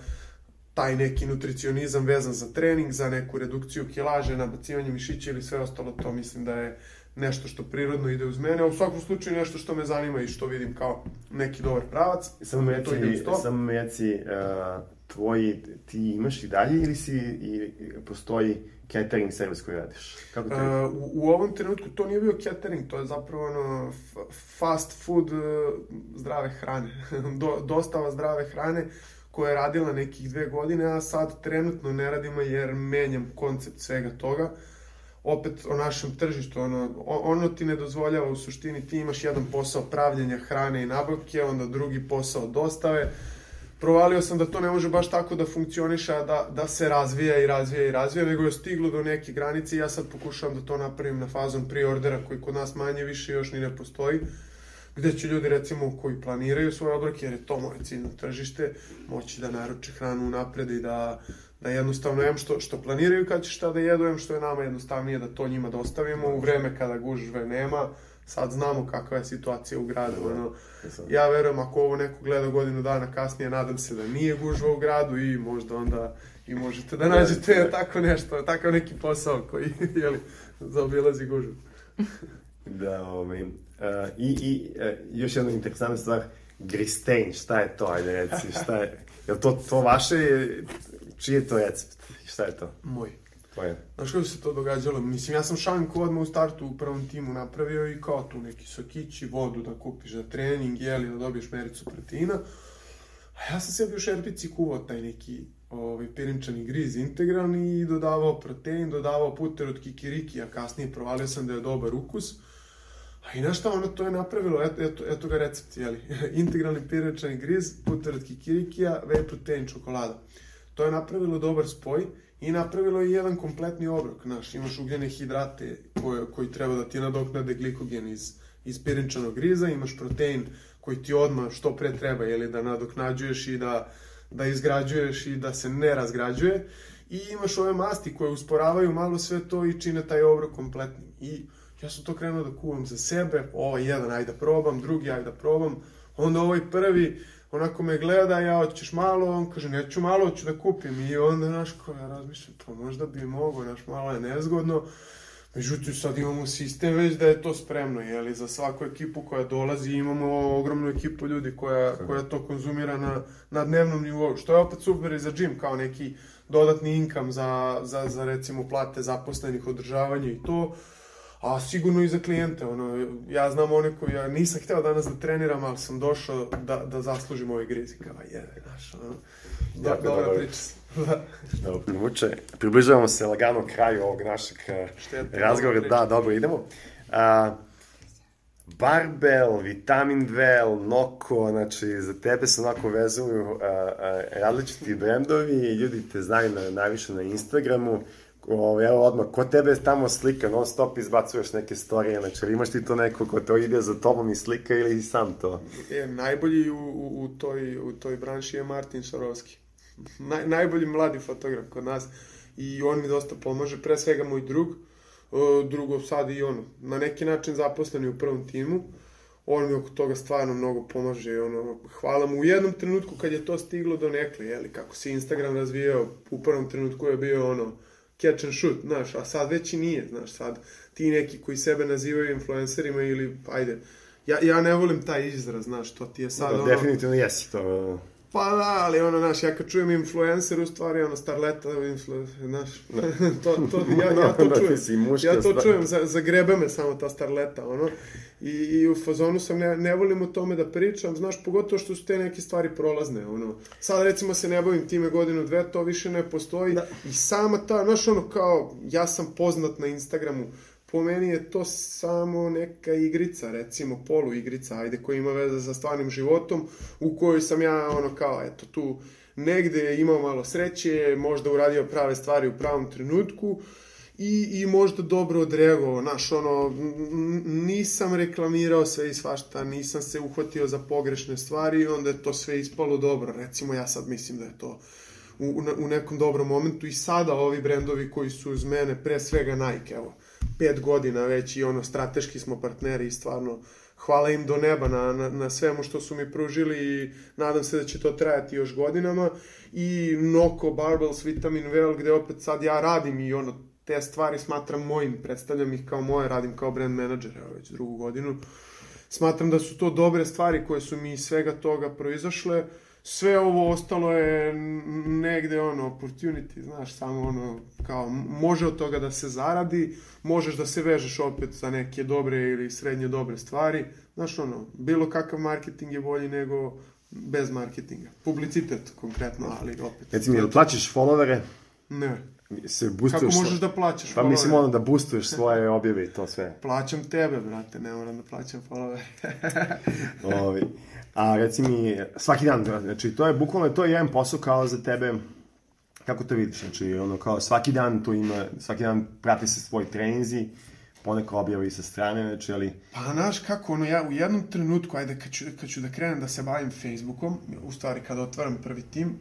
taj neki nutricionizam vezan za trening, za neku redukciju kilaže, nabacivanje mišića ili sve ostalo, to mislim da je nešto što prirodno ide uz mene, a u svakom slučaju nešto što me zanima i što vidim kao neki dobar pravac. Samo me reci, samo me reci, uh, tvoji, ti imaš i dalje ili si, i, postoji catering servis koji radiš? Kako to je? Uh, u, u ovom trenutku to nije bio catering, to je zapravo ono fast food uh, zdrave hrane, Do, dostava zdrave hrane koja je radila nekih dve godine, a sad trenutno ne radimo jer menjam koncept svega toga. Opet o našem tržištu, ono, ono ti ne dozvoljava u suštini, ti imaš jedan posao pravljenja hrane i nabavke, onda drugi posao dostave. Provalio sam da to ne može baš tako da funkcioniše, da, da se razvija i razvija i razvija, nego je stiglo do neke granice i ja sad pokušavam da to napravim na fazom pre-ordera koji kod nas manje više još ni ne postoji, gde će ljudi recimo koji planiraju svoje obroke, jer je to moje ciljno tržište, moći da naruče hranu unapred i da, da jednostavno jem što, što planiraju kad će šta da jedu, jem što je nama jednostavnije da to njima dostavimo u vreme kada gužve nema. Sad znamo kakva je situacija u gradu. Ono, ja verujem ako ovo neko gleda godinu dana kasnije, nadam se da nije gužva u gradu i možda onda i možete da nađete tako nešto, takav neki posao koji jeli, zaobilazi gužvu. Da, ovaj, uh, i, i uh, još jedna interesantna stvar, Gristein, šta je to, ajde reci, šta je, je li to, to vaše, čiji je to recept, šta je to? Moj. Tvoje. Znaš kako se to događalo? Mislim, ja sam šanku odmah u startu u prvom timu napravio i kao tu neki sokići, vodu da kupiš za trening, jeli, da dobiješ mericu proteina. A ja sam sebi u šerpici kuvao taj neki ovaj, pirinčani griz integralni i dodavao protein, dodavao puter od kikiriki, a kasnije provalio sam da je dobar ukus. A i znaš šta, ono to je napravilo, eto, eto, eto ga recept, jeli, integralni pirinčani griz, puter od kikirikija, whey protein, čokolada. To je napravilo dobar spoj i napravilo je jedan kompletni obrok, znaš, imaš ugljene hidrate koje, koji treba da ti nadoknade glikogen iz, iz pirinčanog griza, imaš protein koji ti odmah što pre treba, jeli, da nadoknađuješ i da, da izgrađuješ i da se ne razgrađuje, i imaš ove masti koje usporavaju malo sve to i čine taj obrok kompletnim. I ja sam to krenuo da kuvam za sebe, ovaj jedan, ajde da probam, drugi, ajde da probam, onda ovaj prvi, onako me gleda, ja hoćeš malo, on kaže neću malo, hoću da kupim, i onda, znaš, ko ja razmišljam, pa možda bi mogo, znaš, malo je nezgodno, međutim sad imamo sistem već da je to spremno, jeli, za svaku ekipu koja dolazi imamo ogromnu ekipu ljudi koja, koja to konzumira na, na dnevnom nivou, što je opet super i za džim, kao neki dodatni income za, za, za recimo plate zaposlenih, održavanje i to, a sigurno i za klijente, ono, ja znam one koji, ja nisam hteo danas da treniram, ali sam došao da, da zaslužim ovaj griz i kao, jede, znaš, ono, do, dobra priča. Dobro, primuče, približavamo se lagano kraju ovog našeg Štetno, razgovora, da, dobro, idemo. A, Barbell, Vitamin Well, Noko, znači za tebe se onako vezuju a, a, različiti brendovi, ljudi te znaju na, najviše na Instagramu. O, evo odmah, ko tebe je tamo slika, non stop izbacuješ neke storije, znači imaš ti to neko ko to ide za tobom i slika ili sam to? E, najbolji u, u, u, toj, u toj branši je Martin Šarovski. Naj, najbolji mladi fotograf kod nas i on mi dosta pomaže, pre svega moj drug. drugo sad i ono, na neki način zaposleni u prvom timu. On mi oko toga stvarno mnogo pomaže, ono, hvala mu u jednom trenutku kad je to stiglo do nekle, jeli, kako se Instagram razvijao, u prvom trenutku je bio ono, catch and shoot, znaš, a sad već i nije, znaš, sad ti neki koji sebe nazivaju influencerima ili, ajde, ja, ja ne volim taj izraz, znaš, to ti je sad da, ono... Definitivno jesi to... Pa da, ali ono, znaš, ja kad čujem influencer, u stvari, ono, starleta, influencer, znaš, to, to, ja, ja to čujem, ja to čujem, zagrebe me samo ta starleta, ono, i, i u fazonu sam, ne, ne volim o tome da pričam, znaš, pogotovo što su te neke stvari prolazne, ono, sad recimo se ne bavim time godinu, dve, to više ne postoji, da. I sama ta, znaš, ono, kao, ja sam poznat na Instagramu, po meni je to samo neka igrica, recimo polu igrica, ajde, koja ima veze sa stvarnim životom, u kojoj sam ja, ono, kao, eto, tu negde imao malo sreće, možda uradio prave stvari u pravom trenutku i, i možda dobro odreagovao, znaš, ono, nisam reklamirao sve i svašta, nisam se uhvatio za pogrešne stvari i onda je to sve ispalo dobro, recimo ja sad mislim da je to u, u nekom dobrom momentu i sada ovi brendovi koji su uz mene, pre svega Nike, evo, pet godina već i ono, strateški smo partneri i stvarno hvala im do neba na, na, na svemu što su mi pružili i nadam se da će to trajati još godinama i Noko, Barbells, Vitamin Well, gde opet sad ja radim i ono, te stvari smatram mojim, predstavljam ih kao moje, radim kao brand manager, evo već drugu godinu. Smatram da su to dobre stvari koje su mi iz svega toga proizašle. Sve ovo ostalo je negde ono, opportunity, znaš, samo ono, kao, može od toga da se zaradi, možeš da se vežeš opet za neke dobre ili srednje dobre stvari, znaš, ono, bilo kakav marketing je bolji nego bez marketinga. Publicitet, konkretno, ali opet. Reci mi, jel plaćaš followere? Ne. Se boostuješ. Kako možeš da plaćaš followere? Pa mislim ono da boostuješ svoje objave i to sve. Plaćam tebe, brate, ne moram da plaćam followere. Ovi. A reci mi, svaki dan, znači to je bukvalno, to je jedan posao kao za tebe, kako to vidiš, znači ono kao svaki dan tu ima, svaki dan prati se svoj treninzi, poneko objavi sa strane, znači ali... Pa znaš kako, ono ja u jednom trenutku, ajde kad ću, kad ću da krenem da se bavim Facebookom, u stvari kada otvaram prvi tim,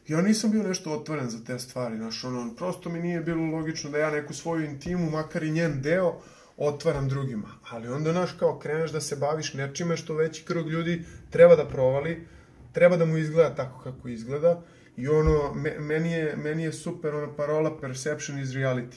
ja nisam bio nešto otvoren za te stvari, znaš, ono, prosto mi nije bilo logično da ja neku svoju intimu, makar i njen deo, otvaram drugima, ali onda, znaš, kao kreneš da se baviš nečime što veći krug ljudi treba da provali, treba da mu izgleda tako kako izgleda i ono, me, meni, je, meni je super ona parola perception is reality.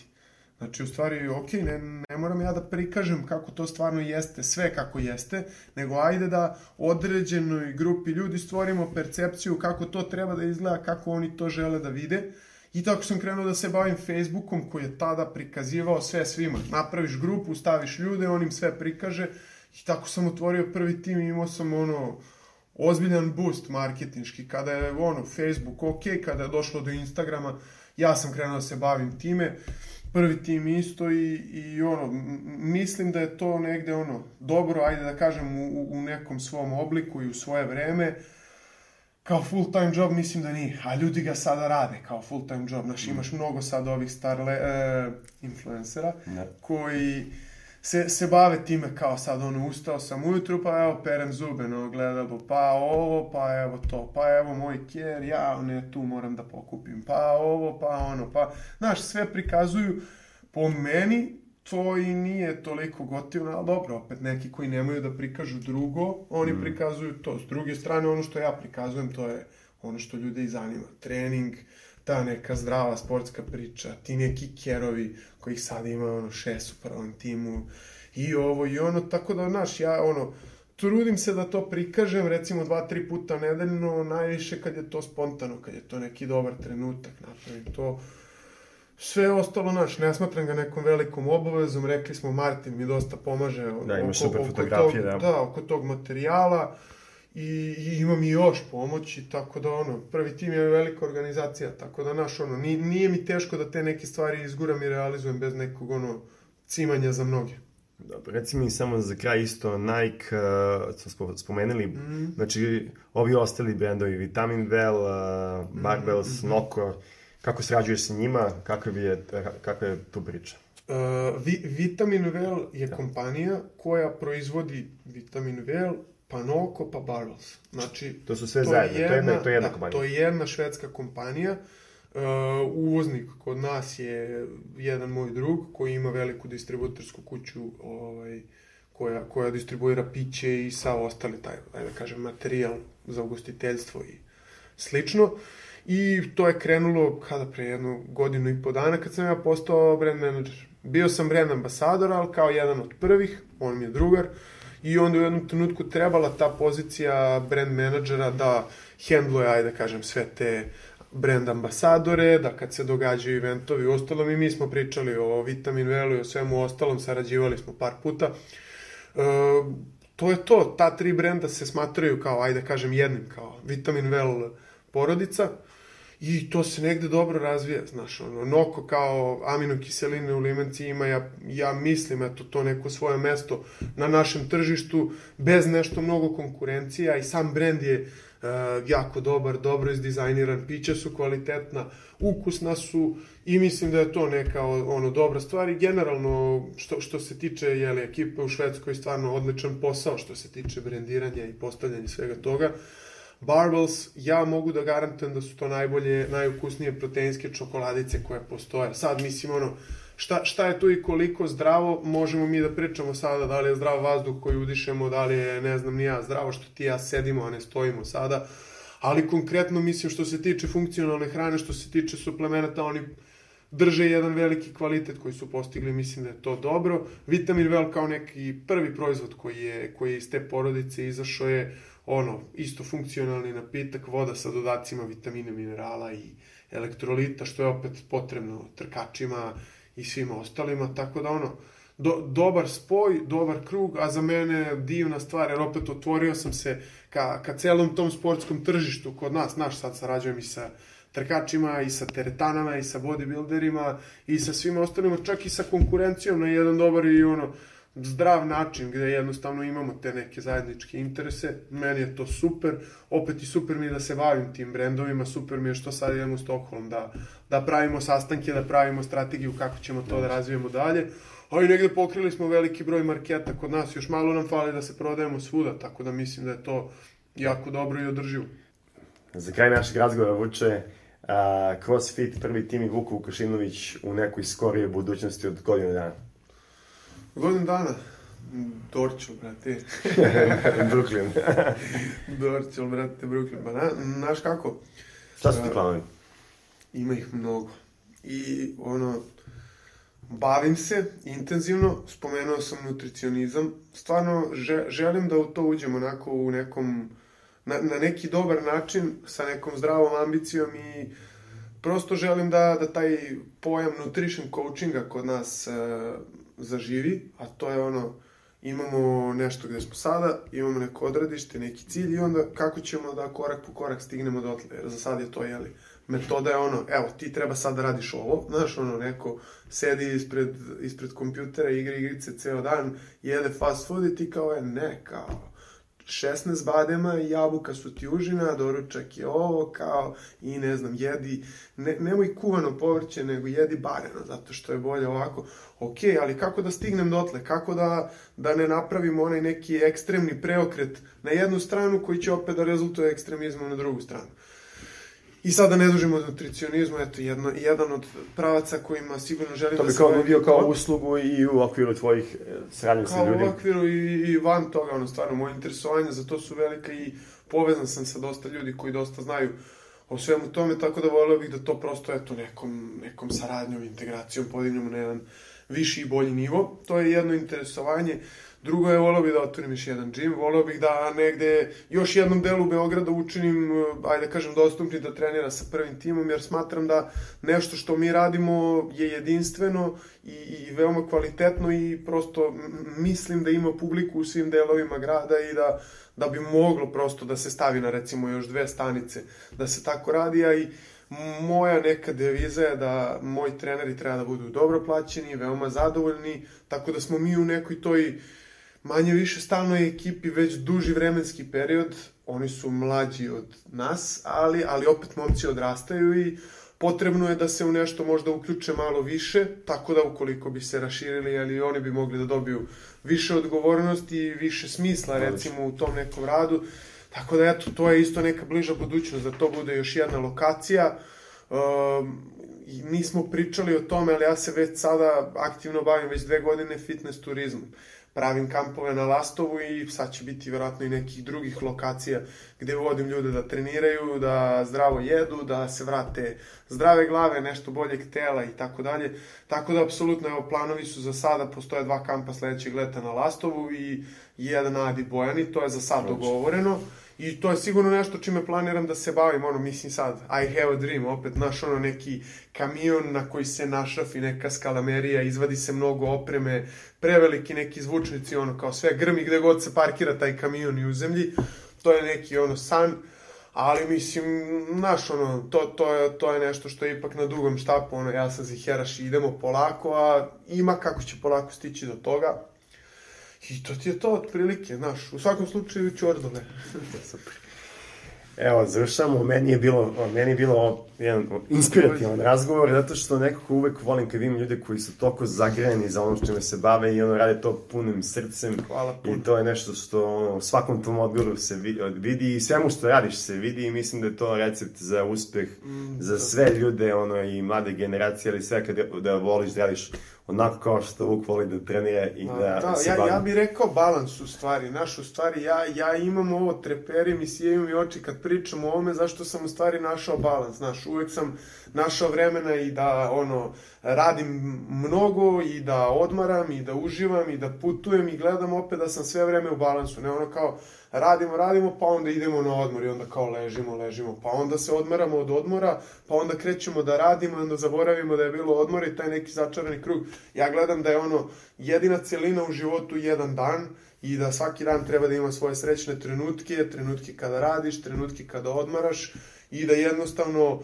Znači, u stvari, ok, ne, ne moram ja da prikažem kako to stvarno jeste, sve kako jeste, nego ajde da određenoj grupi ljudi stvorimo percepciju kako to treba da izgleda, kako oni to žele da vide. I tako sam krenuo da se bavim Facebookom koji je tada prikazivao sve svima. Napraviš grupu, staviš ljude, on im sve prikaže i tako sam otvorio prvi tim i imao sam ono ozbiljan boost marketinški. Kada je ono Facebook ok, kada je došlo do Instagrama, ja sam krenuo da se bavim time. Prvi tim isto i, i ono, mislim da je to negde ono dobro, ajde da kažem u, u nekom svom obliku i u svoje vreme. Kao full time job mislim da nije, a ljudi ga sada rade kao full time job. Znaš, imaš mnogo sad ovih starle, e, influencera ne. koji se, se bave time kao sad ono, ustao sam ujutru pa evo perem zube na ogledalu, pa ovo, pa evo to, pa evo moj kjer, ja ne tu moram da pokupim, pa ovo, pa ono, pa, znaš, sve prikazuju. Po meni to i nije toliko gotivno, ali dobro, opet neki koji nemaju da prikažu drugo, oni mm. prikazuju to. S druge strane, ono što ja prikazujem, to je ono što ljude i zanima. Trening, ta neka zdrava sportska priča, ti neki kerovi kojih sad ima ono šest u prvom timu i ovo i ono, tako da, znaš, ja ono, trudim se da to prikažem, recimo dva, tri puta nedeljno, najviše kad je to spontano, kad je to neki dobar trenutak, napravim to. Sve ostalo, naš, ne smatram ga nekom velikom obavezom, rekli smo, Martin mi dosta pomaže da, oko, super oko, fotografije, tog, da. Da, oko tog materijala i, i ima mi još pomoći, tako da ono, prvi tim je velika organizacija, tako da naš, ono, nije, nije mi teško da te neke stvari izguram i realizujem bez nekog, ono, cimanja za mnoge. Dobro, reci mi samo za kraj isto, Nike, uh, smo spomenuli, mm. znači, ovi ostali brendovi, Vitamin Well, uh, Barbells, mm. Noko, kako srađuješ sa njima, kakva je, kakva je tu priča? Uh, vi, Vitamin Well je da. kompanija koja proizvodi Vitamin Well, pa Noko, pa Barbells. Znači, to su sve to zajedno, jedna, to je jedna, to je jedna da, kompanija. To je jedna švedska kompanija Uh, uvoznik kod nas je jedan moj drug koji ima veliku distributersku kuću ovaj, koja, koja distribuira piće i sa ostali taj, ajde da kažem, materijal za ugostiteljstvo i slično. I to je krenulo kada pre jednu godinu i po dana kad sam ja postao brand manager. Bio sam brand ambasador, ali kao jedan od prvih, on mi je drugar, i onda u jednom trenutku trebala ta pozicija brand menadžera da hendluje, ajde da kažem, sve te brand ambasadore, da kad se događaju eventovi u ostalom, i mi smo pričali o Vitamin Well-u i o svemu ostalom, sarađivali smo par puta. E, to je to, ta tri brenda se smatraju kao, ajde da kažem, jednim, kao Vitamin Well porodica, i to se negde dobro razvija, znaš, ono, Noko kao aminokiseline u limenci ima, ja, ja mislim, eto, to neko svoje mesto na našem tržištu, bez nešto mnogo konkurencija, i sam brend je uh, jako dobar, dobro izdizajniran, pića su kvalitetna, ukusna su, i mislim da je to neka, ono, dobra stvar, i generalno, što, što se tiče, jeli, ekipe u Švedskoj, stvarno odličan posao što se tiče brendiranja i postavljanja svega toga. Barbells, ja mogu da garantujem da su to najbolje, najukusnije proteinske čokoladice koje postoje. Sad, mislim, ono, šta, šta je tu i koliko zdravo, možemo mi da pričamo sada, da li je zdrav vazduh koji udišemo, da li je, ne znam, ni ja, zdravo što ti ja sedimo, a ne stojimo sada, ali konkretno, mislim, što se tiče funkcionalne hrane, što se tiče suplemenata, oni drže jedan veliki kvalitet koji su postigli, mislim da je to dobro. Vitamin Well kao neki prvi proizvod koji je, koji je iz te porodice izašao je ono, isto funkcionalni napitak, voda sa dodacima vitamina, minerala i elektrolita, što je opet potrebno trkačima i svima ostalima, tako da ono, do, dobar spoj, dobar krug, a za mene divna stvar, jer opet otvorio sam se ka, ka celom tom sportskom tržištu kod nas, naš sad sarađujem i sa trkačima, i sa teretanama, i sa bodybuilderima, i sa svima ostalima, čak i sa konkurencijom na jedan dobar i ono, zdrav način, gde jednostavno imamo te neke zajedničke interese. Meni je to super, opet i super mi je da se bavim tim brendovima, super mi je što sad idemo u Stockholm, da, da pravimo sastanke, da pravimo strategiju kako ćemo to da razvijemo dalje. A i negde pokrili smo veliki broj marketa kod nas, još malo nam fali da se prodajemo svuda, tako da mislim da je to jako dobro i održivo. Za kraj našeg razgovora, Vuče, uh, CrossFit, prvi tim i Vuk Vukašinović u nekoj skorijoj budućnosti od godinu dana. Godinu dana? Dorčel, brate. Brooklyn. Dorčel, brate, Brooklyn. Pa na, znaš kako? Šta su ti planovi? Ima ih mnogo. I ono, bavim se intenzivno, spomenuo sam nutricionizam. Stvarno že, želim da u to uđem onako u nekom, na, na neki dobar način, sa nekom zdravom ambicijom, i prosto želim da, da taj pojam nutrition coachinga kod nas uh, zaživi, a to je ono, imamo nešto gde smo sada, imamo neko odredište, neki cilj, i onda kako ćemo da korak po korak stignemo dotle, jer za sad je to, jeli, metoda je ono, evo, ti treba sad da radiš ovo, znaš, ono, neko sedi ispred, ispred kompjutera, igra igrice ceo dan, jede fast food i ti kao, je, ne, kao, šesnaest badema i jabuka su ti užina, doručak je ovo, kao, i ne znam, jedi, ne, nemoj kuvano povrće, nego jedi bareno, zato što je bolje ovako. Ok, ali kako da stignem dotle? Kako da, da ne napravimo onaj neki ekstremni preokret na jednu stranu koji će opet da rezultuje ekstremizmom na drugu stranu? I sada ne dužimo od nutricionizmu, eto, jedno, jedan od pravaca kojima sigurno želim da se... To bi kao bio kao uslugu i u okviru tvojih saradnje sa ljudima. Kao u okviru i, i van toga, ono, stvarno, moje interesovanje za to su velika, i povezan sam sa dosta ljudi koji dosta znaju o svemu tome, tako da voleo bih da to prosto, eto, nekom, nekom saradnjom, integracijom podignemo na jedan viši i bolji nivo. To je jedno interesovanje. Drugo je, voleo bih da otvorim još jedan džim, voleo bih da negde još jednom delu Beograda učinim, ajde da kažem, dostupni da trenira sa prvim timom, jer smatram da nešto što mi radimo je jedinstveno i, i veoma kvalitetno, i prosto mislim da ima publiku u svim delovima grada, i da, da bi moglo prosto da se stavi na, recimo, još dve stanice, da se tako radi, a i moja neka deviza je da moji treneri treba da budu dobro plaćeni, veoma zadovoljni, tako da smo mi u nekoj toj manje više stalnoj ekipi već duži vremenski period. Oni su mlađi od nas, ali, ali opet momci odrastaju i potrebno je da se u nešto možda uključe malo više, tako da ukoliko bi se raširili, ali oni bi mogli da dobiju više odgovornosti i više smisla, recimo, u tom nekom radu. Tako da, eto, to je isto neka bliža budućnost, da to bude još jedna lokacija. nismo pričali o tome, ali ja se već sada aktivno bavim već dve godine fitness turizmom. Pravim kampove na Lastovu i sad će biti vjerojatno i nekih drugih lokacija gde vodim ljude da treniraju, da zdravo jedu, da se vrate zdrave glave, nešto boljeg tela i tako dalje. Tako da, apsolutno, evo, planovi su za sada, postoje dva kampa sledećeg leta na Lastovu i jedan na Adi Bojani, to je za sad dogovoreno. I to je sigurno nešto čime planiram da se bavim, ono, mislim sad, I have a dream, opet, naš, ono, neki kamion na koji se našafi neka skalamerija, izvadi se mnogo opreme, preveliki neki zvučnici, ono, kao sve grmi gde god se parkira taj kamion i u zemlji, to je neki, ono, san, ali, mislim, naš, ono, to, to, je, to je nešto što je ipak na dugom štapu, ono, ja sam Ziheraš i idemo polako, a ima kako će polako stići do toga. I to ti je to otprilike, znaš, u svakom slučaju Ćordole. Super. Evo, završamo, meni je bilo, meni je bilo jedan inspirativan razgovor, zato što nekako uvek volim kad imam ljude koji su toliko zagrejeni za ono čime se bave i ono rade to punim srcem. Hvala puno. I to je nešto što ono, u svakom tom odgovoru se vidi i svemu što radiš se vidi i mislim da je to recept za uspeh mm, za sve ljude, ono, i mlade generacije, ali sve kada da voliš da radiš onako kao što Vuk voli da trenira i da, da se ja, bavi. Ja bih rekao balans u stvari, naš u stvari, ja, ja imam ovo, treperi mi sijaju mi oči kad pričam o ovome, zašto sam u stvari našao balans, znaš, uvek sam našao vremena i da, ono, radim mnogo i da odmaram i da uživam i da putujem i gledam opet da sam sve vreme u balansu, ne ono kao radimo, radimo, pa onda idemo na odmor i onda kao ležimo, ležimo, pa onda se odmaramo od odmora, pa onda krećemo da radimo i onda zaboravimo da je bilo odmor i taj neki začarani krug. Ja gledam da je ono jedina celina u životu jedan dan i da svaki dan treba da ima svoje srećne trenutke, trenutke kada radiš, trenutke kada odmaraš i da jednostavno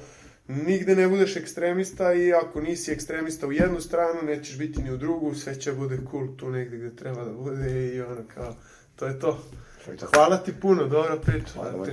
nigde ne budeš ekstremista i ako nisi ekstremista u jednu stranu, nećeš biti ni u drugu, sve će bude cool tu negde gde treba da bude i ono kao, to je to. Hvala ti puno, dobra priča. Hvala,